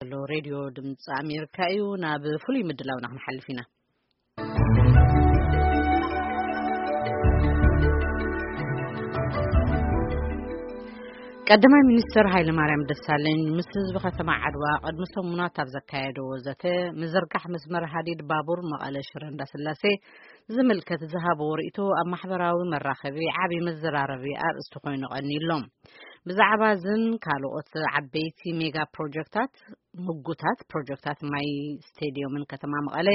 ዘሎ ሬድዮ ድምፂ ኣሜሪካ እዩ። ናብ ፍሉይ ምድላውና ክንሓልፍ ኢና። ቀዳማይ ሚኒስትር ሃይለ ማርያም ደሳለኝ ምስ ህዝቢ ከተማ ዓድዋ ቅድሚ ሰሙናት ኣብ ዘካየደዎ ዘተ፣ ምዝርጋሕ መስመር ሃዲድ ባቡር መቐለ ሽረ እንዳስላሴ ዝምልከት ዝሃበዎ ርእይቶ ኣብ ማሕበራዊ መራኸቢ ዓቢ መዘራረቢ ኣርእስቲ ኮይኑ ቀኒሎም። ብዛዕባ እዝን ካልኦት ዓበይቲ ሜጋ ፕሮጀክታት፣ ምጉታት ፕሮጀክታት ማይ ስቴድዮምን ከተማ መቐለ፣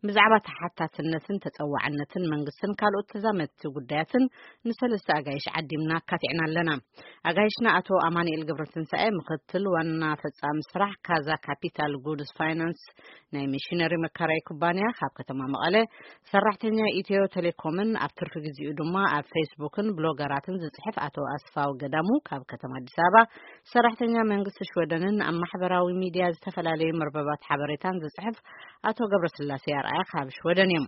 ብዛዕባ ተሓታትነትን ተጸዋዕነትን መንግስትን ካልኦት ተዛመድቲ ጉዳያትን ንሰለስተ ኣጋይሽ ዓዲምና ኣካቲዕና ኣለና። ኣጋይሽና ኣቶ ኣማኑኤል ገብረትንሳኤ፣ ምክትል ዋና ፈጻሚ ስራሕ ካዛ ካፒታል ጉድስ ፋይናንስ፣ ናይ ሚሽነሪ መካራይ ኩባንያ ካብ ከተማ መቐለ፣ ሰራሕተኛ ኢትዮ ቴሌኮምን ኣብ ትርፊ ግዜኡ ድማ ኣብ ፌስቡክን ብሎገራትን ዝጽሕፍ ኣቶ ኣስፋው ገዳሙ ካብ ከተማ ኣዲስ ኣበባ፣ ሰራሕተኛ መንግስቲ ሽወደንን ኣብ ማሕበራዊ ሚድያ ዝተፈላለዩ መርበባት ሓበሬታን ዝጽሕፍ ኣቶ ገብረስላሴ ኣርኣያ ካብ ሽወደን እዮም።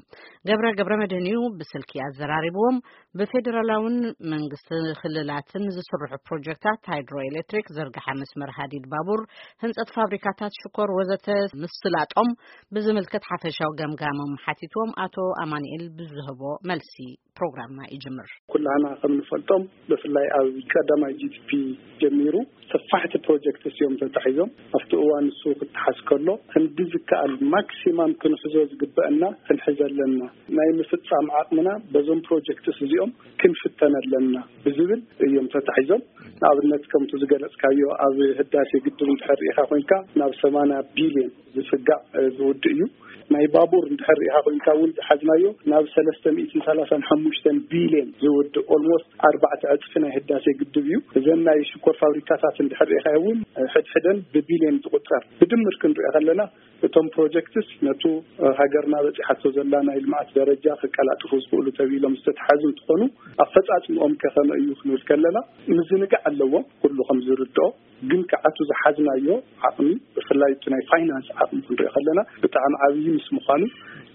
ገብረ ገብረ መድህን እዩ ብስልኪ ኣዘራሪብዎም። ብፌዴራላውን መንግስቲ ክልላትን ዝስርሑ ፕሮጀክታት ሃይድሮ ኤሌክትሪክ፣ ዝርግሐ መስመር ሃዲድ ባቡር፣ ህንጸት ፋብሪካታት ሽኮር ወዘተ ምስላጦም ብዝምልከት ሓፈሻዊ ገምጋሞም ሓቲትዎም ኣቶ ኣማኑኤል ብዝህቦ መልሲ ፕሮግራምና ይጅምር። ኩላህና ከም ንፈልጦም ብፍላይ ኣብ ቀዳማይ ጂ ቲ ፒ ጀሚሩ ሰፋሕቲ ፕሮጀክትስ እዮም ተታሒዞም። ኣብቲ እዋን ንሱ ክተሓዝ ከሎ ክንዲ ዝከኣል ማክሲማም ክንሕዞ ዝግበአና ክንሕዘ ኣለና። ናይ ምፍጻም ዓቕምና በዞም ፕሮጀክትስ እዚኦም ክንፍተን ኣለና ብዝብል እዮም ተታሒዞም። ንኣብነት ከምቲ ዝገለጽካዮ ኣብ ህዳሴ ግድብ እንድሕር ርኢኻ ኮይንካ ናብ ሰማንያ ቢልዮን ዝጽጋዕ ዝውድእ እዩ። ናይ ባቡር እንድሕር ርኢኻ ኮይንካ እውን ዝሓዝናዮ ናብ ሰለስተ ሚእትን ሰላሳን ሓሙሽተን ቢልዮን ዝውድእ ኦልሞስት ኣርባዕተ ዕጽፊ ናይ ህዳሴ ግድብ እዩ። እዘን ናይ ሽኮር ፋብሪካታት እንድሕር ርኢኻ እውን ሕድሕደን ብቢልዮን ዝቁጸር ብድምር ክንሪኦ ከለና እቶም ፕሮጀክትስ ነቱ ሃገርና በጺሓቶ ዘላ ናይ ልምዓት ደረጃ ከቀላጥፉ ዝኽእሉ ተቢሎም ዝተተሓዙ እንትኾኑ ኣፈጻጽምኦም ከ ከመይ እዩ ክንብል ከለና ምዝንጋዕ ኣለዎም። ኩሉ ከም ዝርድኦ ግን ከዓቱ ዝሓዝናዮ ዓቕሚ ብፍላይ እቲ ናይ ፋይናንስ ዓቕሚ ክንሪኦ ከለና ብጣዕሚ ዓብዪ ምስ ምዃኑ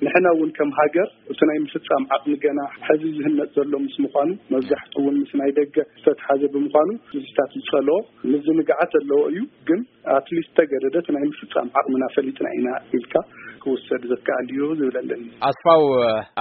ንሕና እውን ከም ሃገር እቲ ናይ ምፍጻም ዓቕሚ ገና ሕዚ ዝህነጽ ዘሎ ምስ ምዃኑ መብዛሕትኡ እውን ምስ ናይ ደገ ዝተተሓዘ ብምዃኑ እዚታት ዝጸልኦ ምዝንጋዓት ዘለዎ እዩ። ግን ኣትሊስት ተገደደ እቲ ናይ ምፍጻም ዓቕምና ፈሊጥና ኢና ኢልካ ክውሰድ ዘከኣል እዩ ዝብል ኣለኒ። ኣስፋው፣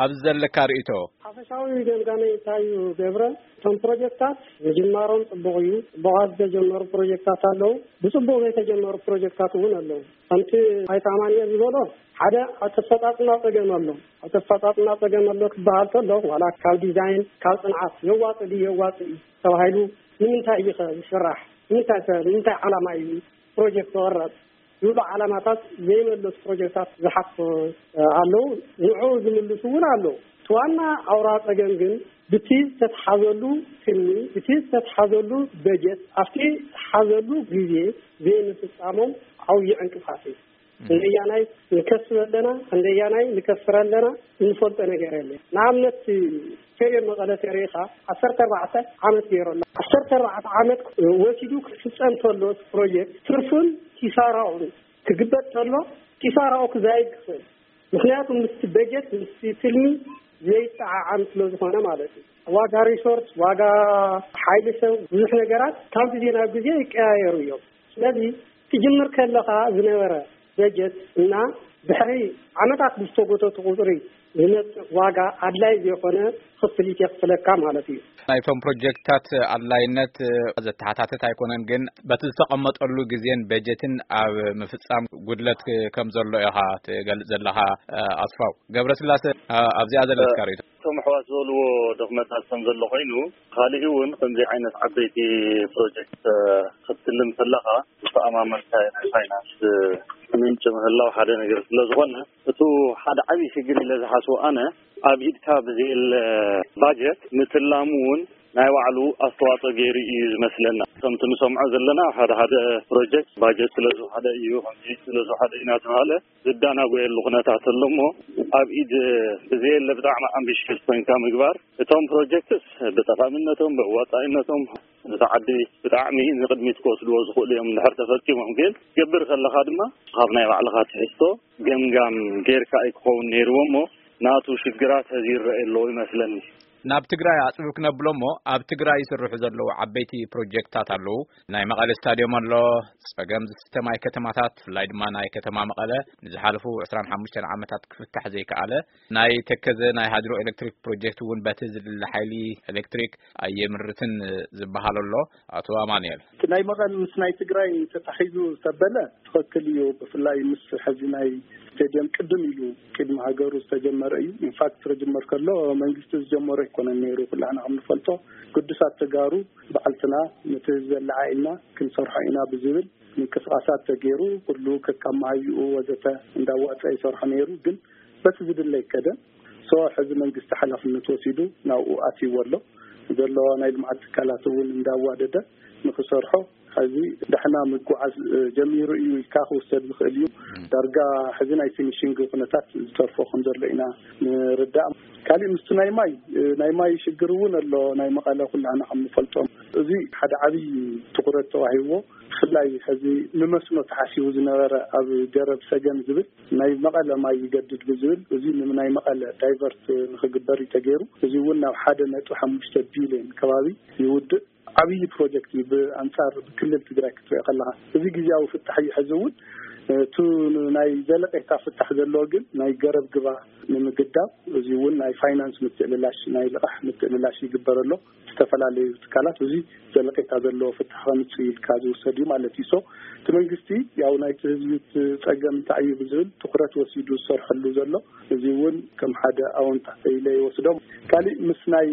ኣብዚ ዘለካ ርእይቶ? ሓፈሻዊ ገምጋመይ እንታይ እዩ ገብረ? እቶም ፕሮጀክታት ምጅማሮም ጽቡቕ እዩ። ጽቡቓት ዝተጀመሩ ፕሮጀክታት ኣለዉ። ብጽቡቕ ዘይተጀመሩ ፕሮጀክታት እውን ኣለዉ። ከምቲ ኣይተ ኣማኑኤል ዝበሎ ሓደ ኣብ ተፈጻጽማ ጸገም ኣሎ። ኣብ ተፈጻጽማ ጸገም ኣሎ ክበሃል ከሎ ዋላ ካብ ዲዛይን ካብ ጽንዓት የዋጽእ ድዩ የዋጽእ እዩ ተባሂሉ ንምንታይ እዩ ከ ዝስራሕ? ንምንታይ ከ ንምንታይ ዓላማ እዩ ፕሮጀክት ዝቕረጽ ዝብሉ ዓላማታት ዘይመለሱ ፕሮጀክታት ዝሓፍ ኣለዉ። ንዑ ዝምልሱ እውን ኣለዉ። እቲ ዋና ኣውራ ጸገም ግን ብቲ ዝተትሓዘሉ ትልሚ ብቲ ዝተትሓዘሉ በጀት ኣብቲ ዝተሓዘሉ ግዜ ዘይምፍጻሞም ዓብዪ ዕንቅፋት እዩ። ክንደያናይ ንከስብ ኣለና ክንደያናይ ንከስር ኣለና እንፈልጦ ነገር የለ። ንኣብነት ቴርዮ መቐለ ተሪኻ ዓሰርተ ኣርባዕተ ዓመት ገይሩ ኣሎ። ዓሰርተ ኣርባዕተ ዓመት ወሲዱ ክፍጸም ተሎ ፕሮጀክት ትርፉን ኪሳራኡን ክግበጥ ተሎ ኪሳራኡ ክዛይድ ክኽእል። ምክንያቱ ምስቲ በጀት ምስቲ ትልሚ ዘይጠዓዓም ስለ ዝኾነ ማለት እዩ። ዋጋ ሪሶርስ ዋጋ ሓይሊ ሰብ ብዙሕ ነገራት ካብ ግዜ ናብ ግዜ ይቀያየሩ እዮም። ስለዚ ትጅምር ከለኻ ዝነበረ በጀት እና ድሕሪ ዓመታት ብዝተጎተቱ ቁፅሪ ዝመፅእ ዋጋ ኣድላይ ዘይኮነ ክፍሊት የኽፍለካ ማለት እዩ። ናይቶም ፕሮጀክትታት ኣድላይነት ዘተሓታትት ኣይኮነን፣ ግን በቲ ዝተቐመጠሉ ግዜን በጀትን ኣብ ምፍፃም ጉድለት ከም ዘሎ ኢኻ ትገልፅ ዘለኻ። ኣስፋው ገብረስላሴ፣ ኣብዚኣ ዘለካ ርእይቶ? እቶም ኣሕዋት ዝበልዎ ድኽመታት ከም ዘሎ ኮይኑ፣ ካሊእ እውን ከምዚ ዓይነት ዓበይቲ ፕሮጀክት ክትልም ከለኻ ዝተኣማመንካዮ ናይ ፋይናንስ ምንጪ ምህላው ሓደ ነገር ስለ ዝኾነ፣ እቱ ሓደ ዓብዪ ሽግር ኢለ ዝሓስቦ ኣነ፣ ኣብ ኢድካ ብዘየለ ባጀት ምትላሙ እውን ናይ ባዕሉ ኣስተዋፅኦ ገይሩ እዩ ዝመስለና። ከምቲ ንሰምዖ ዘለና ሓደ ሓደ ፕሮጀክት ባጀት ስለ ዝወሓደ እዩ፣ ከምዚ ስለ ዝወሓደ እዩ እናተባህለ ዝዳናጎየሉ ኩነታት ኣሎ እሞ፣ ኣብ ኢድ ብዘየለ ብጣዕሚ ኣምቢሽየስ ኮይንካ ምግባር፣ እቶም ፕሮጀክትስ ብጠቓሚነቶም ብኣዋፃኢነቶም ነታ ዓዲ ብጣዕሚ ንቕድሚት ክወስድዎ ዝኽእሉ እዮም እንድሕር ተፈፂሞም። ግን ትገብር ከለኻ ድማ ካብ ናይ ባዕልኻ ትሕዝቶ ገምጋም ጌርካ እዩ ክኸውን ነይርዎ እሞ፣ ናቱ ሽግራት ሀዚ ይረአ ኣለዎ ይመስለኒ። ናብ ትግራይ ኣፅብብ ክነብሎ እሞ፣ ኣብ ትግራይ ይስርሑ ዘለዉ ዓበይቲ ፕሮጀክትታት ኣለዉ። ናይ መቐለ ስታዲዮም ኣሎ። ፀገም ዝስተ ማይ ከተማታት፣ ብፍላይ ድማ ናይ ከተማ መቐለ፣ ንዝሓለፉ ዕስራን ሓሙሽተን ዓመታት ክፍታሕ ዘይከኣለ፣ ናይ ተከዘ ናይ ሃይድሮ ኤሌክትሪክ ፕሮጀክት እውን በቲ ዝድለ ሓይሊ ኤሌክትሪክ ኣየምርትን ዝበሃል ኣሎ። ኣቶ ኣማኑኤል። እቲ ናይ መቐል ምስ ናይ ትግራይ ተታሒዙ ዝተበለ ትኽክል እዩ። ብፍላይ ምስ ሕዚ ናይ ስቴዲየም ቅድም ኢሉ ቅድሚ ሃገሩ ዝተጀመረ እዩ። ኢንፋክት ክጅመር ከሎ መንግስቲ ዝጀመሮ ኣይኮነን ነይሩ። ኩላህና ከም ንፈልጦ ግዱሳት ተጋሩ ባዕልትና ነቲ ህዝቢ ኣለዓዒልና ክንሰርሖ ኢና ብዝብል ምንቅስቃሳት ተገይሩ፣ ኩሉ ከካብ መሃይኡ ወዘተ እንዳዋፀ ይሰርሖ ነይሩ። ግን በቲ ዝድለ ኣይከደን። ሶ ሕዚ መንግስቲ ሓላፍነት ወሲዱ ናብኡ ኣትይዎ ኣሎ። ዘሎ ናይ ልምዓት ትካላት እውን እንዳዋደደ ንክሰርሖ ሕዚ ዳሕና ምጉዓዝ እ፣ ጀሚሩ እዩ ኢልካ ክውሰድ ዝኽእል እዩ። ዳርጋ ሕዚ ናይ ፊኒሽንግ ኩነታት ዝተርፎ ከም ዘሎ ኢና ንርዳእ። ካሊእ ምስቲ ናይ ማይ እ፣ ናይ ማይ ሽግር እውን ኣሎ። ናይ መቐለ ኩላህና ከም ንፈልጦም፣ እዚ ሓደ ዓብዪ ትኩረት ተዋሂብዎ፣ ብፍላይ ሕዚ ንመስኖ ተሓሲቡ ዝነበረ ኣብ ገረብ ሰገን ዝብል ናይ መቐለ ማይ ይገድድ ብዝብል፣ እዚ ንናይ መቐለ ዳይቨርት ንክግበር እዩ ተገይሩ። እዚ እውን ናብ ሓደ ነጥቢ ሓሙሽተ ቢልዮን ከባቢ ይውድእ። ዓብዪ ፕሮጀክት እዩ። ብኣንፃር ብክልል ትግራይ ክትሪኦ ከለካ፣ እዚ ግዜያዊ ፍታሕ እዩ። ሕዚ እውን እቲ ናይ ዘለቄታ ፍታሕ ዘለዎ ግን ናይ ገረብ ግባ ንምግዳብ፣ እዚ እውን ናይ ፋይናንስ ምትእልላሽ፣ ናይ ልቓሕ ምትእልላሽ ይግበረሎ። ዝተፈላለዩ ትካላት እዚ ዘለቄታ ዘለዎ ፍታሕ ከምፅእ ኢልካ ዝውሰድ እዩ ማለት እዩ። ሶ እቲ መንግስቲ ያው ናይቲ ህዝቢ እቲ ፀገም እንታይ እዩ ብዝብል ትኩረት ወሲዱ ዝሰርሐሉ ዘሎ፣ እዚ እውን ከም ሓደ ኣወንታ ኢለ ይወስዶም። ካሊእ ምስ ናይ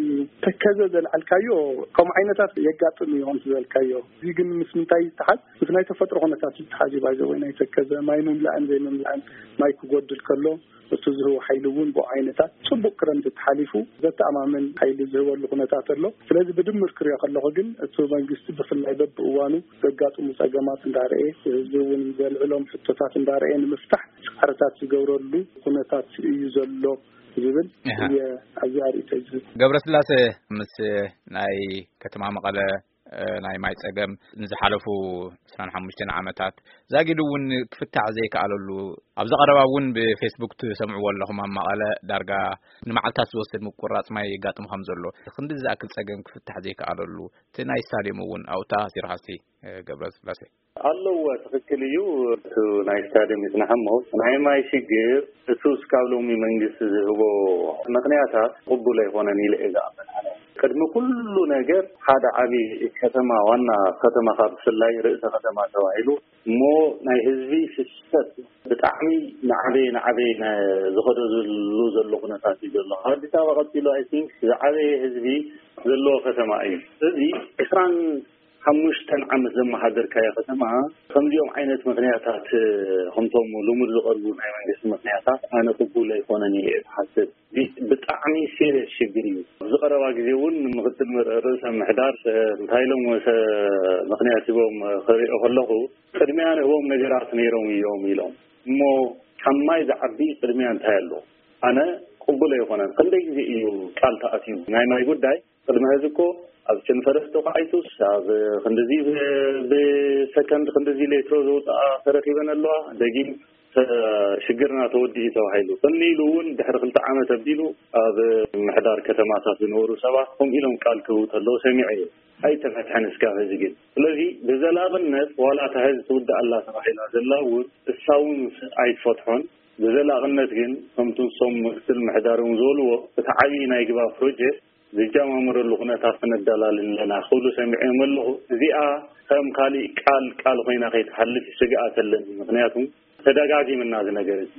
ተከዘ ዘልዓልካዮ ከምኡ ዓይነታት የጋጥም እዩ ከምቲ ዝበልካዮ። እዚ ግን ምስ ምንታይ ይተሓዝ? ምስ ናይ ተፈጥሮ ኩነታት ይተሓዝ እዩ። ባይዘ ወይ ናይ ተከዘ ማይ ምምላእን ዘይምምላእን፣ ማይ ክጎድል ከሎ እቲ ዝህቡ ሓይሊ እውን ብኡ ዓይነታት፣ ፅቡቅ ክረምቲ ተሓሊፉ ዘተኣማምን ሓይሊ ዝህበሉ ኩነታት ኣሎ። ስለዚ ብድምር ክሪኦ ከለኹ ግን እቲ መንግስቲ ብፍላይ በብእዋኑ ዘጋጥሙ ፀገማት እንዳርኤ፣ ህዝቢ እውን ዘልዕሎም ሕቶታት እንዳርኤ ንምፍታሕ ፃዕርታት ዝገብረሉ ኩነታት እዩ ዘሎ ዝብል እየ ኣብዚ ኣርእቶ ዝብል። ገብረስላሴ፣ ምስ ናይ ከተማ መቐለ እ፣ ናይ ማይ ጸገም ንዝሓለፉ ዕስራን ሓሙሽተን ዓመታት ዛጊድ እውን ክፍታሕ ዘይከኣለሉ፣ ኣብዚ ቀረባ እውን ብፌስቡክ ትሰምዕዎ ኣለኹም፣ ኣብ መቐለ ዳርጋ ንመዓልታት ዝወስድ ምቁራጽ ማይ የጋጥም ከም ዘሎ፣ ክንዲ ዝኣክል ጸገም ክፍታሕ ዘይከኣለሉ፣ እቲ ናይ ስታድዮም እውን ኣብኡ ተኣሲርካ እስቲ፣ እ፣ ገብረስላሴ። ኣለዎ፣ ትኽክል እዩ። እቲ ናይ ስታድዮም ይጽናሕ እሞ፣ ናይ ማይ ሽግር፣ እቲ እስካብ ሎሚ መንግስቲ ዝህቦ ምኽንያታት ቅቡል ኣይኮነን ኢለ እየ ዝኣምን ኣነ። ቅድሚ ኩሉ ነገር ሓደ ዓቢ ከተማ፣ ዋና ከተማ ካብ ብፍላይ ርእሰ ከተማ ተባሂሉ እሞ ናይ ህዝቢ ፍሰት ብጣዕሚ ናዕበየ ናዕበየ ና-፣ ዝኸደሉ ዘሎ ኩነታት እዩ ዘሎ። ካብ ኣዲስ ኣበባ ቀጺሉ ኣይ ቲንክ ዝዓበየ ህዝቢ ዘለዎ ከተማ እዩ። እዚ ዕስራን ሓሙሽተን ዓመት ዘመሓደርካዮ ከተማ ከምዚኦም ዓይነት ምኽንያታት፣ ከምቶም ልሙድ ዝቐርቡ ናይ መንግስቲ ምኽንያታት ኣነ ቅቡል ኣይኮነን ኢለ እየ ዝሓስብ። ቢ-፣ ብጣዕሚ ሲሪየስ ሽግር እዩ። ኣብዚ ቀረባ ግዜ እውን ምኽትል ምር-፣ ርእሰ ምሕዳር፣ እ፣ እንታይ ኢሎም ወሰ-፣ ምኽንያት ሂቦም ክሪኦ ከለኹ፣ ቅድሚያ ንህቦም ነገራት ነይሮም እዮም ኢሎም። እሞ ካብ ማይ ዝዓቢ ቅድሚያ እንታይ ኣሎ? ኣነ ቅቡል ኣይኮነን። ክንደይ ግዜ እዩ ቃል ተኣትዩ ናይ ማይ ጉዳይ? ቅድሚ ሕዚ እኮ ኣብ ቸንፈረስ ተኳዒቱስ፣ ኣብ ክንድዚ ብ-፣ ብሰከንድ ክንድዚ ሌትሮ ዘውፅኣ ተረኺበን ኣለዋ። ደጊም ተ-፣ ሽግርና ተወዲኡ ተባሂሉ። ቅኒ ኢሉ እውን ድሕሪ ክልተ ዓመት ኣቢሉ ኣብ ምሕዳር ከተማታት ዝነበሩ ሰባት ከምኡ ኢሎም ቃል ክህቡ ከለዉ ሰሚዐ እየ። ኣይተፈትሐን እስካብ ሕዚ ግን። ስለዚ ብዘላቕነት ዋላ እታ ሕዚ ትውዳእ ኣላ ተባሂላ ዘላ እውን እሳ እውን ኣይትፈትሖን። ብዘላቕነት ግን ከምቲ ንሶም ምክትል ምሕዳር እውን ዝበልዎ እቲ ዓብዪ ናይ ግባ ፕሮጀክት ዝጀማመረሉ ኩነታት ክነደላልል ኣለና ክብሉ ሰሚዐዮም ኣለኹ። እዚኣ ከም ካሊእ ቃል ቃል ኮይና ከይትሓልፍ ስግኣት ኣለኒ። ምኽንያቱ ተደጋጊምና እዚ ነገር እዚ።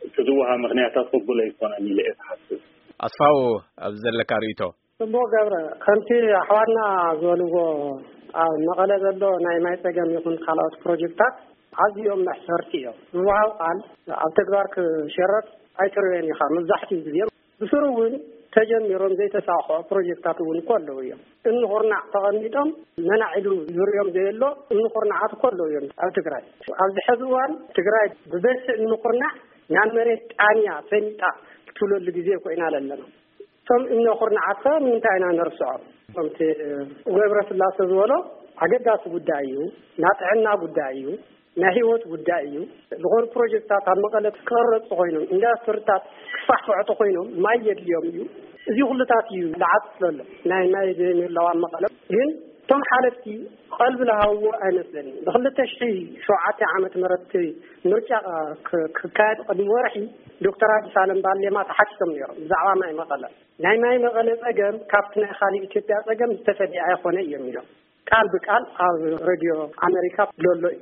እቲ ዝወሃብ ምኽንያታት ቅቡል ኣይኮነን ኢለ እየ ዝሓስብ። ኣስፋው፣ ኣብዚ ዘለካ ርእይቶ? ጽቡቕ ገብረ፣ ከምቲ ኣሕዋትና ዝበልዎ ኣብ መቐለ ዘሎ ናይ ማይ ጸገም ይኹን ካልኦት ፕሮጀክታት ኣዝዮም መሕፈርቲ እዮም። ዝወሃብ ቃል ኣብ ተግባር ክሸረፍ ኣይትርእዮን ኢኻ መብዛሕትኡ ግዜ። ብስሩ እውን ተጀሚሮም ዘይተሳኽዑ ፕሮጀክታት እውን እኮ ኣለዉ እዮም። እምኒ ኩርናዕ ተቐሚጦም መናዕ ኢሉ ዝርእዮም ዘየሎ እምኒ ኩርናዓት እኮ ኣለዉ እዮም ኣብ ትግራይ። ኣብዚ ሕዚ እዋን ትግራይ ብበዝሒ እምኒ ኩርናዕ ናብ መሬት ጣንያ ሰሚጣ ትብለሉ ግዜ ኮይና ኣለና። እቶም እምኒ ኩርናዓት ከ ንምንታይ ኢና ነርስዖም? ከምቲ ገብረ ስላሴ ዝበሎ ኣገዳሲ ጉዳይ እዩ፣ ናይ ጥዕና ጉዳይ እዩ። ናይ ህይወት ጉዳይ እዩ። ዝኾኑ ፕሮጀክታት ኣብ መቐለ ክቕረፁ ኮይኖም፣ ኢንዳስትሪታት ክፋሕፍሑ ኮይኖም ማይ የድልዮም እዩ። እዚ ኩሉታት እዩ ዝዓጽፍ ዘሎ። ናይ ማይ ዘይምህላው ኣብ መቐለ ግን እቶም ሓለፍቲ ቀልቢ ዝሃብዎ ኣይመስለኒ። ብ2007 ዓመተ ምህረት ምርጫ ክ- ክካየድ ቅድሚ ወርሒ ዶክተር ኣዲስ ኣለም ባሌማ ተሓቲቶም ነይሮም ብዛዕባ ማይ መቐለ። ናይ ማይ መቐለ ጸገም ካብቲ ናይ ካልእ ኢትዮጵያ ጸገም ዝተፈለየ ኣይኾነ እዮም ኢሎም። ቃል ብቃል ኣብ ሬድዮ ኣሜሪካ ዘሎ እዩ።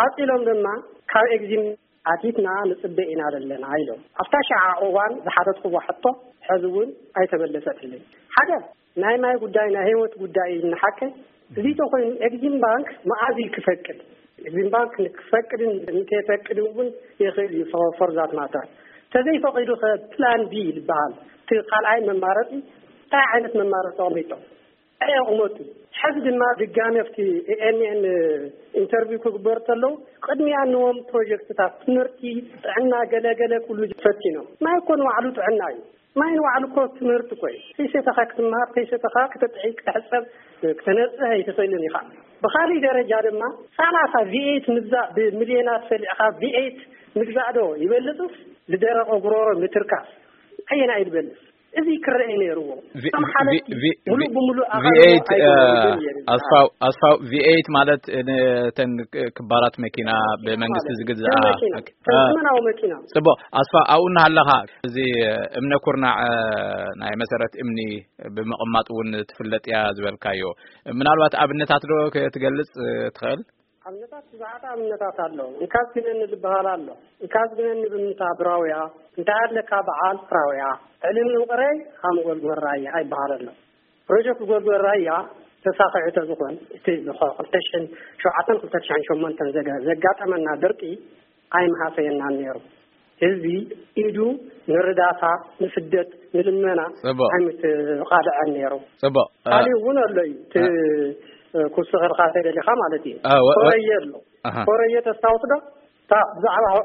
ቀጺሎም ድማ ካብ ኤግዚም ኣቲትና ንጽበ ኢና ዘለና ኢሎም። ኣብታ ሸዓ እዋን ዝሓተትኩዎ ሕቶ ሕዚ እውን ኣይተመለሰትለይ። ሓደ ናይ ማይ ጉዳይ ናይ ህይወት ጉዳይ እዩ። ንሓቀይ እዚ ተኮይኑ ኤግዚም ባንክ መኣዝ እዩ ክፈቅድ? ኤግዚም ባንክ ንክፈቅድን ንከይፈቅድን እውን ይኽእል እዩ። ፎርዛት ማተር ተዘይፈቂዱ ከ ፕላን ቢ ዝበሃል እቲ ካልኣይ መማረፂ እንታይ ዓይነት መማረፂ ኣቕሚጦም? ኣየቕመጡ። ሕዚ ድማ ድጋሚ ኣብቲ ኤኤንኤን ኢንተርቪው ክግበር ተለዉ ቅድሚያ ንዎም ፕሮጀክትታት ትምህርቲ፣ ጥዕና፣ ገለገለ ኩሉ ፈቲኖም። ማይ እኮ ንባዕሉ ጥዕና እዩ። ማይ ንባዕሉ እኮ ትምህርቲ እኮ እዩ። ከይሰተኻ ክትመሃር፣ ከይሰተኻ ክትጥዒ፣ ክትሕፀብ፣ ክተነፅህ ኣይትኽእልን ኢኻ። ብኻሊእ ደረጃ ድማ ሰላሳ ቪኤት ምግዛእ ብሚልዮናት ሰሊዕኻ ቪኤት ምግዛእ ዶ ይበልፅስ ዝደረቐ ጉሮሮ ምትርካስ ኣየናይ ይበልፅ? እዚ ክረአ ነይርዎ። እቶም ሓለፍቲ ሙሉእ ብሙሉእ ኣኻልቦ ኣይገበሩን ነይሩ። ኣስፋው ኣስፋው ቪኤት ማለት ነተን ክባራት መኪና ብመንግስቲ ዝግዝኣ ዘመናዊ መኪና። ጽቡቕ ኣስፋው ኣብኡ እናሃለኻ እዚ እምነ ኩርናዕ ናይ መሰረት እምኒ ብምቕማጥ እውን ትፍለጥ እያ ዝበልካዮ ምናልባት ኣብነታት ዶ ክትገልጽ ትኽእል? ኣብነታት ብዙሓት ኣብነታት ኣለዉ። እንካስ ግነኒ ዝበሃል ኣሎ። እንካስ ግነኒ ብምንታ ብራውያ እንታይ ኣለካ በዓል ራውያ ዕልም ንውቕረይ ሃም ጎልጎል ራያ ኣይበሃል ኣሎ። ፕሮጀክት ጎልጎል ራያ ተሳኺዑ ተዝኾን እቲ ብ2007 2008 ዘጋጠመና ድርቂ ኣይምሃሰየናን ነይሩ። ህዝቢ ኢዱ ንርዳታ ንስደት ንልመና ኣይምትቓልዐን ነይሩ። ጽቡቕ ካሊእ እውን ኣሎ እዩ እቲ ኩስኸልካ ተደሊኻ ማለት እዩ። ኮረየ ኣሎ። ኮረየ ተስታውስ ዶ?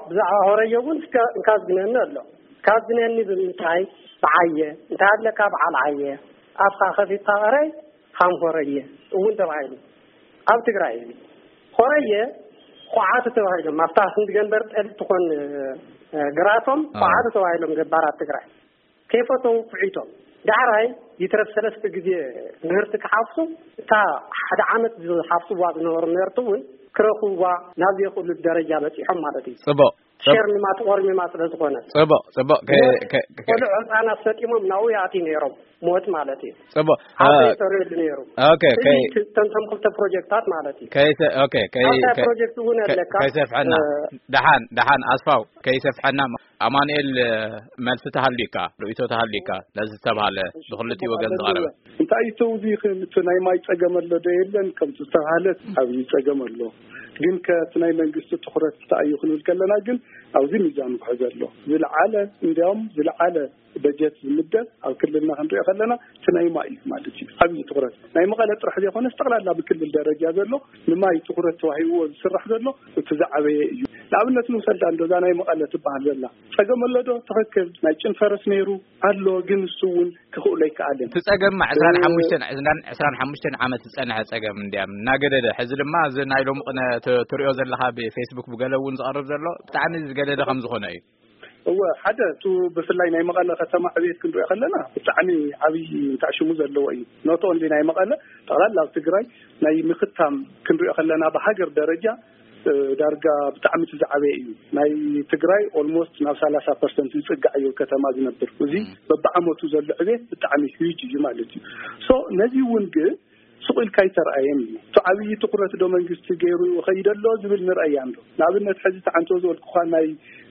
ብዛዕባ ሆረየ እውን እስከ እንካዝግነኒ ኣሎ። ካዝግነኒ ብምንታይ? ብዓየ እንታይ ኣለካ በዓል ዓየ ኣፍካ ከፊትካ ቀረይ ሃም ሆረየ እውን ተባሂሉ ኣብ ትግራይ እዚ ሆረየ ኳዓቱ ተባሂሎም ኣብታ ክንዲ ገንበር ጠል ትኾን ግራቶም ኳዓቱ ተባሂሎም ገባራት ትግራይ ከይፈተው ኩዒቶም። ዳሕራይ ይትረፍ ሰለስተ ግዜ ምህርቲ ክሓፍሱ እታ ሓደ ዓመት ዝሓፍስዋ ዝነበሩ ምህርቲ እውን ክረኽብዋ ናብ ዘይኽእሉ ደረጃ በፂሖም ማለት እዩ። ጽቡቕ ሸርሚማ ተቆርሚማ ስለ ዝኾነ ጽቡቕ ጽቡቕ ቆልዑ ህፃናት ሰጢሞም ናብኡ ይኣትዩ ነይሮም። ሞት ማለት እዩ። ጽቡቕ ሓወይ ተርእየሉ ነይሩ። ኦኬ ኦኬ። ተንተም ክልተ ፕሮጀክታት ማለት እዩ። ከይሰ ኦኬ ከይ ኣብታ ፕሮጀክት እውን ኣለካ። ከይሰፍሐና ደሓን ደሓን ኣስፋው ከይሰፍሐና ኣማኑኤል መልሲ ተሃልዩካ ርእይቶ ተሃልዩካ ነዚ ዝተባሃለ ብክልቲኡ ወገን ዝቐረበ እንታይ እዩ ተውዚ እቲ ናይ ማይ ጸገም ኣሎ ዶ የለን ከምቲ ዝተባሃለት ኣብዚ ጸገም ኣሎ ግን ከቲ ናይ መንግስቲ ትኹረት እንታይ እዩ ክንብል ከለና ግን ኣብዚ ሚዛኑ ክሕዘ ኣሎ ዝለዓለ እንዲያውም ዝለዓለ በጀት ዝምደብ ኣብ ክልልና ክንሪኦ ከለና እቲ ናይ ማይ እዩ ማለት እዩ ዓብዪ ትኹረት ናይ መቐለ ጥራሕ ዘይኮነስ ጠቕላላ ብክልል ደረጃ ዘሎ ንማይ ትኹረት ተዋሂብዎ ዝስራሕ ዘሎ እቲ ዝዓበየ እዩ ንኣብነት ንውሰዳ እንዶ እዛ ናይ መቐለ ትበሃል ዘላ ጸገም ኣሎ ዶ ትኽክል ናይ ጭን ፈረስ ነይሩ ኣሎ ግን እሱ እውን ክኽእሎ ኣይከኣልን እቲ ጸገም ዕስራን ሓሙሽተን ዕስራን ሓሙሽተን ዓመት ዝጸንሐ ጸገም እንድያም እናገደደ ሕዚ ድማ እዚ ናይ ሎሚ ቅነ ትሪኦ ዘለኻ ብፌስቡክ ብገለ እውን ዝቐርብ ዘሎ ብጣዕሚ ዝገደደ ከም ዝኾነ እዩ እወ ሓደ እቱ ብፍላይ ናይ መቐለ ከተማ ዕብየት ክንሪኦ ከለና ብጣዕሚ ዓብዪ እንታይ ሽሙ ዘለዎ እዩ not only ናይ መቐለ ጠቕላላ ኣብ ትግራይ ናይ ምኽታም ክንሪኦ ከለና ብሃገር ደረጃ ዳርጋ ብጣዕሚ እቲ ዝዓበየ እዩ ናይ ትግራይ almost ናብ ሰላሳ percent ዝፅጋዕ እዩ ከተማ ዝነብር እዚ በብዓመቱ ዘሎ ዕብየት ብጣዕሚ huge እዩ ማለት እዩ so ነዚ እውን ግን ስቕ ኢልካ ኣይተረኣየን እዩ። እቲ ዓብዪ ትኹረት ዶ መንግስቲ ገይሩ ይኸይድ ኣሎ ዝብል ንርኣያ እንዶ። ንኣብነት ሕዚ እቲ ዓንቶ ዝበልኩኻ ናይ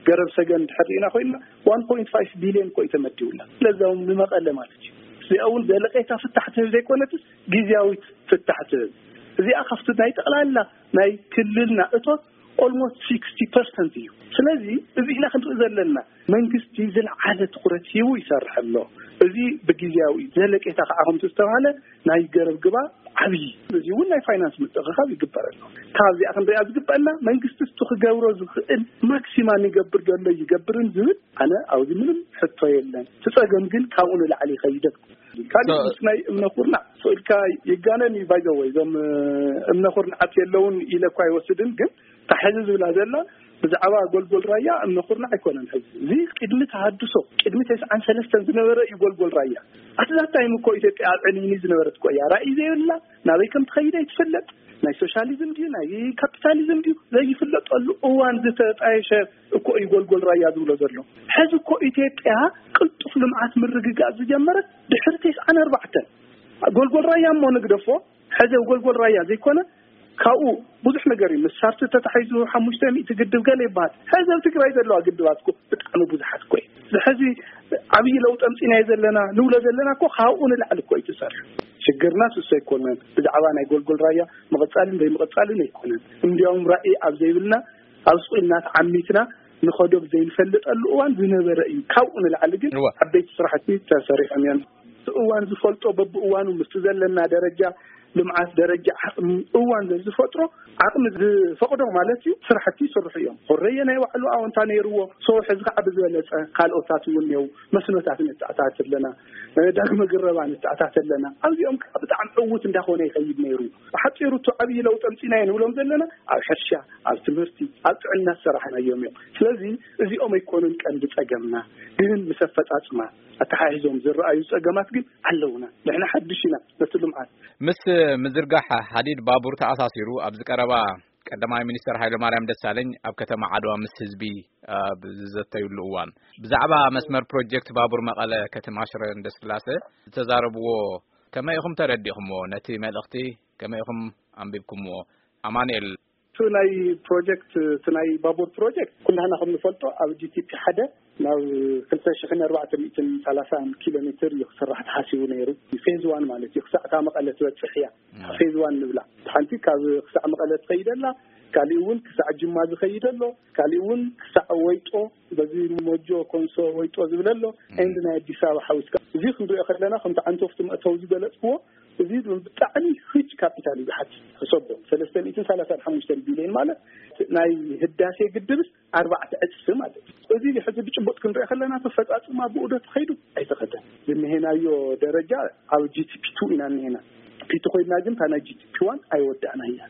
ገረብ ሰገን እንድሕር ርኢና ኮይንና one point five billion እኮ እዩ ተመዲቡላ። ስለዚ እውን ንመቐለ ማለት እዩ። እዚኣ እውን ዘለቄታ ፍታሕ ትህብ ዘይኮነትስ ግዝያዊት ፍታሕ ትህብ። እዚኣ ካብቲ ናይ ጠቕላላ ናይ ክልልና እቶት almost sixty percent እዩ። ስለዚ እዚ ኢና ክንርኢ ዘለና መንግስቲ ዝለዓለ ትኹረት ሂቡ ይሰርሕ ኣሎ። እዚ ብግዝያዊ እዩ። ዘለቄታ ከዓ ከምቲ ዝተባሃለ ናይ ገረብ ግባ ዓብዪ እዚ እውን ናይ ፋይናንስ ምትእኽኻብ ይግበር ኣሎ። ካብዚኣ ክንሪኣ ዝግበአና መንግስቲ እቲ ክገብሮ ዝኽእል ማክሲማም ይገብር ዘሎ ይገብርን ዝብል ኣነ ኣብዚ ምንም ሕቶ የለን። እቲ ፀገም ግን ካብኡ ንላዕሊ ይኸይደት ካልእ ምስ ናይ እምነ ኩርናዕ ስእልካ ይጋነን እዩ ባይዘወይ እዞም እምነ ኩርናዓት የለውን ኢለ እኳ ኣይወስድን ግን ታሕዚ ዝብላ ዘላ ብዛዕባ ጎልጎል ራያ እምነ ኩርናዕ ኣይኮነን። ሕዚ እዚ ቅድሚ ተሃድሶ፣ ቅድሚ ተስዓን ሰለስተን ዝነበረ እዩ ጎልጎል ራያ። ኣትዛታይም እኮ ኢትዮጵያ ኣብ ዕንይኒ ዝነበረት እኮ እያ። ራእይ ዘይብላ፣ ናበይ ከም ትኸይድ ኣይትፈልጥ፣ ናይ ሶሻሊዝም ድዩ ናይ ካፒታሊዝም ድዩ ዘይፍለጠሉ እዋን ዝተጣየሸ እኮ እዩ ጎልጎል ራያ ዝብሎ ዘሎ። ሕዚ እኮ ኢትዮጵያ ቅልጡፍ ልምዓት ምርግጋእ ዝጀመረት ድሕሪ ተስዓን ኣርባዕተን። ጎልጎል ራያ እሞ ንግደፎ፣ ሕዚ ጎልጎል ራያ ዘይኮነ ካብኡ ብዙሕ ነገር እዩ። ምስ ሳርቲ ተታሒዙ ሓሙሽተ ሚእቲ ግድብ ገለ ይበሃል። ሕዚ ኣብ ትግራይ ዘለዋ ግድባት እኮ ብጣዕሚ ብዙሓት እኮ እዩ። ሕዚ ዓብዪ ለውጢ ኣምፂናዮ ዘለና ንብሎ ዘለና እኮ ካብኡ ንላዕሊ እኮ እዩ ተሰሪሑ። ሽግርና ስሶ ኣይኮነን። ብዛዕባ ናይ ጎልጎል ራያ ምቕፃልን ዘይምቕፃልን ኣይኮነን። እንዲያውም ራእይ ኣብ ዘይብልና ኣብ ስቑልና ተዓሚትና ንኸዶ ብዘይንፈልጠሉ እዋን ዝነበረ እዩ። ካብኡ ንላዕሊ ግን እወ። ዓበይቲ ስራሕቲ ተሰሪሖም እዮም። እቲ እዋን ዝፈልጦ በብእዋኑ ምስቲ ዘለና ደረጃ ልምዓት፣ ደረጃ ዓቕሚ፣ እዋን ዝፈጥሮ ዓቕሚ ዝፈቕዶ ማለት እዩ፣ ስራሕቲ ይስርሑ እዮም። ኮረየ ናይ ባዕሉ ኣወንታ ነይርዎ። ሰው ሕዚ ከዓ ብዝበለፀ ካልኦታት እውን እኒው መስኖታት ንተኣታት ኣለና፣ ዳግመ ግረባ ንተኣታት ኣለና። ኣብዚኦም ከዓ ብጣዕሚ ዕውት እንዳኾነ ይኸይድ ነይሩ። ብሓፂሩ እቱ ዓብዪ ለውጢ ኣምፂናዮ ንብሎም ዘለና ኣብ ሕርሻ፣ ኣብ ትምህርቲ፣ ኣብ ጥዕና ዝሰራሕናዮም እዮም። ስለዚ እዚኦም ኣይኮኑን ቀንዲ ፀገምና፣ ግን ምስ ኣፈፃፅማ ኣተሓሒዞም ዝረኣዩ ፀገማት ግን ኣለውና። ንሕና ሓድሽ ኢና ነቲ ልምዓት። ምስ ምዝርጋሕ ሃዲድ ባቡር ተኣሳሲሩ ኣብዚ ቀረባ ቀዳማይ ሚኒስተር ሃይለማርያም ደሳለኝ ኣብ ከተማ ዓድዋ ምስ ህዝቢ ኣብ ዝዘተዩሉ እዋን ብዛዕባ መስመር ፕሮጀክት ባቡር መቐለ ከተማ ሽረ እንዳስላሰ ዝተዛረብዎ ከመይ ኢኹም ተረዲእኹምዎ? ነቲ መልእኽቲ ከመይ ኢኹም ኣንቢብኩምዎ? ኣማኑኤል። እቲ ናይ ፕሮጀክት፣ እቲ ናይ ባቡር ፕሮጀክት ኩላህና ከም ንፈልጦ ኣብ ጂ ቲ ፒ ሓደ ናብ ክልተ ሽሕን ኣርባዕተ ሚእትን ሰላሳን ኪሎ ሜትር እዩ ክስራሕ ተሓሲቡ ነይሩ። ፌዝ ዋን ማለት እዩ፣ ክሳዕ እታ መቐለ ትበፅሕ እያ። ፌዝ ዋን ንብላ። ሓንቲ ካብ ክሳዕ መቐለ ትኸይድ ኣላ፣ ካሊእ እውን ክሳዕ ጅማ ዝኸይድ ኣሎ፣ ካሊእ እውን ክሳዕ ወይጦ፣ በዚ ሞጆ ኮንሶ ወይጦ ዝብል ኣሎ። ኤንድ ናይ ኣዲስ ኣበባ ሓዊስካ እዚ ክንሪኦ ከለና ከምቲ ዓንቶፍቲ መእተው ዝገለፅክዎ፣ እዚ ብጣዕሚ ሂጅ ካፒታል እዩ ዝሓት። ሕሰቦ፣ ሰለስተ ሚእትን ሰላሳን ሓሙሽተን ቢልዮን ማለት ናይ ህዳሴ ግድብስ ኣርባዕተ ዕፅፊ ማለት እዩ። እዚ ሕዚ ብጭቡጥ ክንሪኦ ከለና ተፈፃፅማ ብኡ ዶ ተኸይዱ ኣይተኸደን። ዝንሄናዮ ደረጃ ኣብ ጂ ቲ ፒ ቱ ኢና እንሄና። ፒ ቱ ኮይድና ግን እታ ናይ ጂ ቲ ፒ ዋን ኣይወዳእናያ።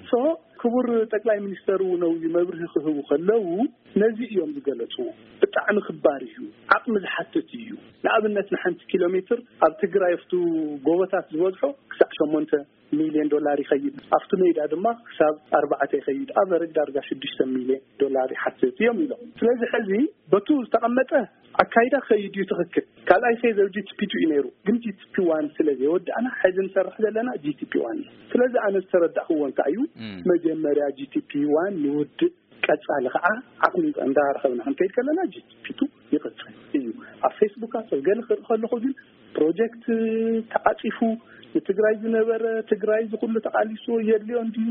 ሶ ክቡር ጠቅላይ ሚኒስተር እውን ኣብዚ መብርሂ ክህቡ ከለዉ ነዚ እዮም ዝገለፅዎ። ብጣዕሚ ክባር እዩ፣ ዓቕሚ ዝሓትት እዩ። ንኣብነት ንሓንቲ ኪሎ ሜትር ኣብ ትግራይ ኣብቱ ጎቦታት ዝበዝሖ ክሳዕ ሸሞንተ ሚልዮን ዶላር ይኸይድ፣ ኣብቲ ሜዳ ድማ ክሳብ ኣርባዕተ ይኸይድ፣ ኣቨረጅ ዳርጋ ሽዱሽተ ሚልዮን ዶላር ይሓትት እዮም ኢሎም። ስለዚ ሕዚ በቱ ዝተቐመጠ ኣካይዳ ክኸይድ እዩ ትኽክል። ካልኣይ ፌዝ ኣብ ጂ ቲ ፒ ቱ እዩ ነይሩ፣ ግን ጂ ቲ ፒ ዋን ስለ ዘይወዳእና ሕዚ ንሰርሕ ዘለና ጂ ቲ ፒ ዋን እዩ። ስለዚ ኣነ ዝተረዳእክዎ እንታይ እዩ፣ እም። መጀመርያ ጂ ቲ ፒ ዋን ንውድእ፣ ቀጻሊ ከዓ ዓቕሚ እንዳረኸብና ክንከይድ ከለና ጂ ቲ ፒ ቱ ይቕጽል እዩ። ኣብ ፌስቡካት ኣብ ገለ ክርኢ ከለኹ ግን ፕሮጀክት ተዓጺፉ ንትግራይ ዝነበረ፣ ትግራይ ዝኹሉ ተቓሊሱ የድልዮ እንድዩ፣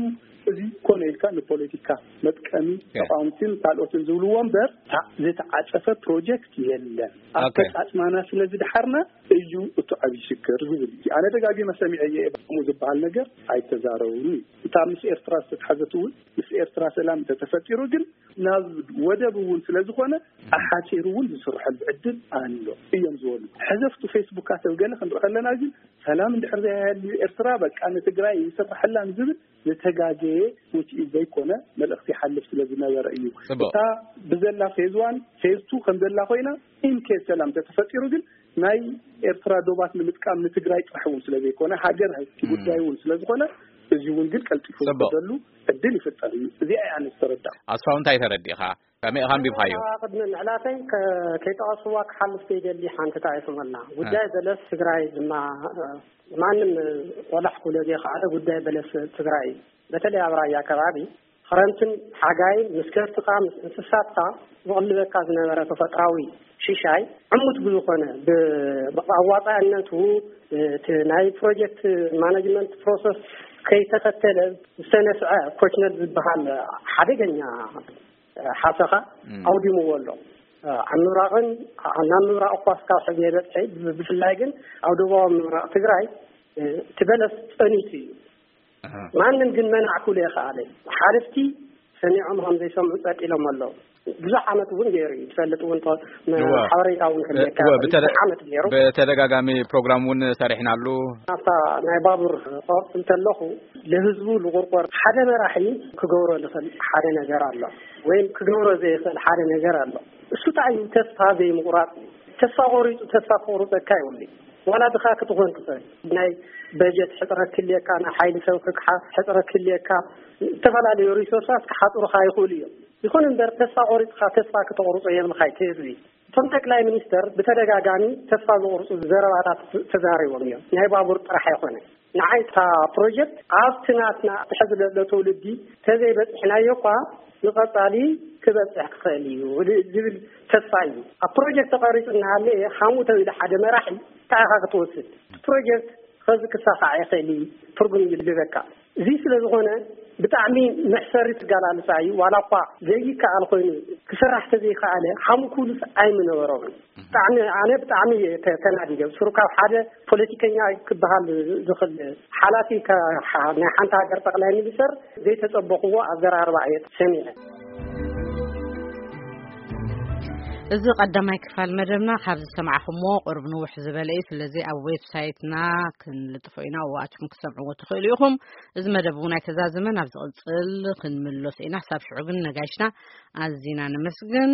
እዚ ኮነ ኢልካ ንፖለቲካ መጥቀሚ ኦኬ። ተቃወምትን ካልኦትን ዝብልዎ እምበር፣ ታ-፣ ዝተዓጸፈ ፕሮጀክት የለን። ኦኬ። ኣፈጻጽማና ስለ ዝደሓርና እዩ እቱ ዓብዪ ሽግር ዝብል እዩ። ኣነ ደጋጊመ ሰሚዐ እየ፣ ከምኡ ዝበሃል ነገር ኣይተዛረቡን እዩ። እታ ምስ ኤርትራ ዝተትሓዘት እውን ምስ ኤርትራ ሰላም እንተተፈጢሩ ግን ናብ ወደብ እውን ስለ ዝኾነ ኣሓጺሩ እውን ዝስርሐሉ ዕድል ኣሎ እዮም ዝበሉ። ሕዘፍቱ ፌስቡካት ኣብ ገለ ክንርኢ ከለና ግን ሰላም እንድሕር ዘይሃልዩ ኤርትራ በቃ ንትግራይ ይስርሐላን ዝብል ዝተጋገየ ውፅኢት ዘይኮነ መልእኽቲ ይሓልፍ ስለ ዝነበረ እዩ። ጽቡቕ። እታ ብዘላ ፌዝ ዋን፣ ፌዝ ቱ ከም ዘላ ኮይና ኢንኬስ ሰላም እንተተፈጢሩ ግን ናይ ኤርትራ ዶባት ንምጥቃም ንትግራይ ጥራሕ እውን ስለ ዘይኮነ ሃገር ሃይቲ እም። ጉዳይ እውን ስለ ዝኾነ እዚ እውን ግን ቀልጢፉ ጽቡቕ። ዝኸደሉ ዕድል ይፍጠር እዩ። እዚኣ እያ ኣነ ዝተረዳእ። ኣስፋው እንታይ ተረዲእኻ? ከመይ ኢኻ ኣንቢብካዮ? ቅድሚ ምዕላተይ ከ-፣ ከይጠቐስዋ ክሓልፍ ዘይደሊ ሓንቲ እንታይ እየ ስመልና። ጉዳይ እ። በለስ ትግራይ ድማ፣ እ፣ ማንም ቆላሕ ክብሎ ዘይከኣለ ጉዳይ በለስ ትግራይ እዩ። በተለይ ኣብ ራያ ከባቢ ክረምትን ሓጋይን ምስ ከፍትኻ ምስ እንስሳትካ ዝቕልበካ ዝነበረ ተፈጥራዊ ሽሻይ ዕሙት ብዝኾነ ብ-፣ ብኣዋፃእነቱ እቲ ናይ ፕሮጀክት ማናጅመንት ፕሮሰስ ከይተኸተለ ዝተነስዐ ኮችነል ዝበሃል ሓደገኛ ሓሰኻ እም። ኣውዲምዎ ኣሎ። ኣብ ምብራቕን ናብ ምብራቕ እኳ እስካብ ሕዚ የበፅሐ፣ ብ-፣ ብፍላይ ግን ኣብ ደቡባዊ ምብራቕ ትግራይ፣ እ፣ እቲ በለስ ፀኒቱ እዩ። ኣሃ። ማንም ግን መናዕ ክብሎ ይኸኣለ። ሓለፍቲ ሰሚዖም ከም ዘይሰምዑ ጸጥ ኢሎም ኣለዉ። ብዙሕ ዓመት እውን ገይሩ እዩ። ትፈልጥ እውን ተ- መ- እወ። ሓበሬታ እውን ክልየካ እወ፣ ይኽእል። ብተደ- ብዙሕ ዓመት ገይሩ። ብተደጋጋሚ ፕሮግራም እውን ሰሪሕናሉ። ኣብታ ናይ ባቡር ቆርጥ እንተለኹ ለህዝቡ ልቁርቆር ሓደ መራሒ ክገብሮ ልኽእል ሓደ ነገር ኣሎ፣ ወይም ክገብሮ ዘይኽእል ሓደ ነገር ኣሎ። እሱ እንታይ እዩ? ተስፋ ዘይምቁራጥ እዩ። ተስፋ ቆሪፁ ተስፋ ክቆርፀካ ይውል ዋላ ድኻ ክትኾን ትኽእል። ናይ በጀት ሕፅረት ክልየካ፣ ናይ ሓይሊ ሰብ ክግሓ ሕፅረት ክልየካ፣ ዝተፈላለዩ ሪሶርሳት ክሓፅሩካ ይኽእሉ እዮም። ይኹን እምበር ተስፋ ቆሪፅካ ተስፋ ክተቑርፆ የብልካ እቲ ህዝቢ። እቶም ጠቅላይ ሚኒስተር ብተደጋጋሚ ተስፋ ዝቑርፁ ዘረባታት ተዛሪቦም እዮም። ናይ ባቡር ጥራሕ ኣይኮነ። ንዓይ እታ ፕሮጀክት ኣብቲ ናትና ትሕዚ ዘሎ ትውልዲ ተዘይበፅሕናዮ እኳ ንቐፃሊ ክበፅሕ ክኽእል እዩ ዝብል ተስፋ እዩ። ኣብ ፕሮጀክት ተቐሪፁ እናሃለየ ሓሙተ ኢሉ ሓደ መራሒ እንታይ ኢኻ ክትወስድ? ፕሮጀክት ኸዚ ክሳኻዕ ይኽእል እዩ፣ ትርጉም ይልበካ። እዚ ስለ ዝኾነ ብጣዕሚ መሕሰሪ ትጋላልፃ እዩ። ዋላ እኳ ዘይከኣል ኮይኑ ክስራሕ ተዘይከኣለ ሓሙ ኩሉስ ኣይምነበሮምን። ብጣዕሚ ኣነ ብጣዕሚ እየ ተ- ተናዲደ። ብስሩ ካብ ሓደ ፖለቲከኛ ክበሃል ዝኽእል ሓላፊ ከ- ሓ- ናይ ሓንቲ ሃገር ጠቅላይ ሚኒስተር ዘይተጸበኽዎ ኣዘራርባ እየ ሰሚዐ። እዚ ቀዳማይ ክፋል መደብና ካብ ዝሰማዕኹምዎ ቁርብ ንውሕ ዝበለ እዩ። ስለዚ ኣብ ዌብሳይትና ክንልጥፎ ኢና፣ ኣብኣትኩም ክሰምዕዎ ትኽእሉ ኢኹም። እዚ መደብ እውን ኣይተዛዘመን፣ ኣብ ዝቕጽል ክንምለሶ ኢና። ክሳብ ሽዑ ግን ነጋሽና ኣዚና ነመስግን።